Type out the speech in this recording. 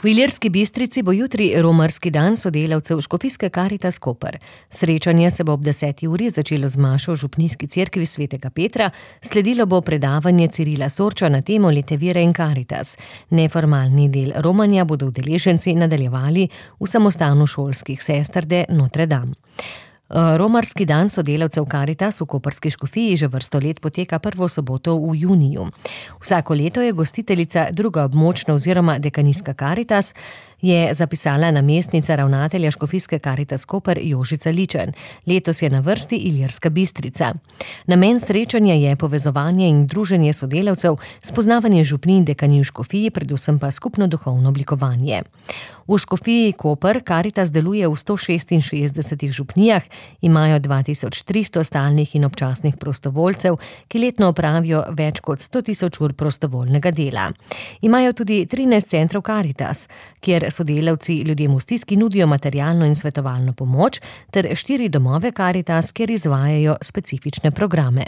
V Ilirski Bistrici bo jutri romarski dan sodelavcev Škofijske Karitas Koper. Srečanje se bo ob 10. uri začelo z mašo v župnijski cerkvi svetega Petra, sledilo bo predavanje Cirila Sorča na temo Lete vere in Karitas. Neformalni del romanja bodo udeleženci nadaljevali v samostanu šolskih sester de Notre Dame. Romarski dan sodelavcev Karitas v koprski škofiji že vrsto let poteka prvo soboto v juniju. Vsako leto je gostiteljica druga območna oziroma dekanijska Karitas, je zapisala namestnica ravnatelja Škofijske Karitas Koper Jožica Ličen. Letos je na vrsti Ilirska Bistrica. Namen srečanja je povezovanje in druženje sodelavcev, spoznavanje župnij in dekanij v škofiji, predvsem pa skupno duhovno oblikovanje. V škofiji Koper Karitas deluje v 166 župnijah, imajo 2300 stalnih in občasnih prostovoljcev, ki letno opravijo več kot 100.000 ur prostovoljnega dela. Imajo tudi 13 centrov Karitas, kjer sodelavci ljudem v stiski nudijo materialno in svetovalno pomoč, ter 4 domove Karitas, kjer izvajajo specifične programe.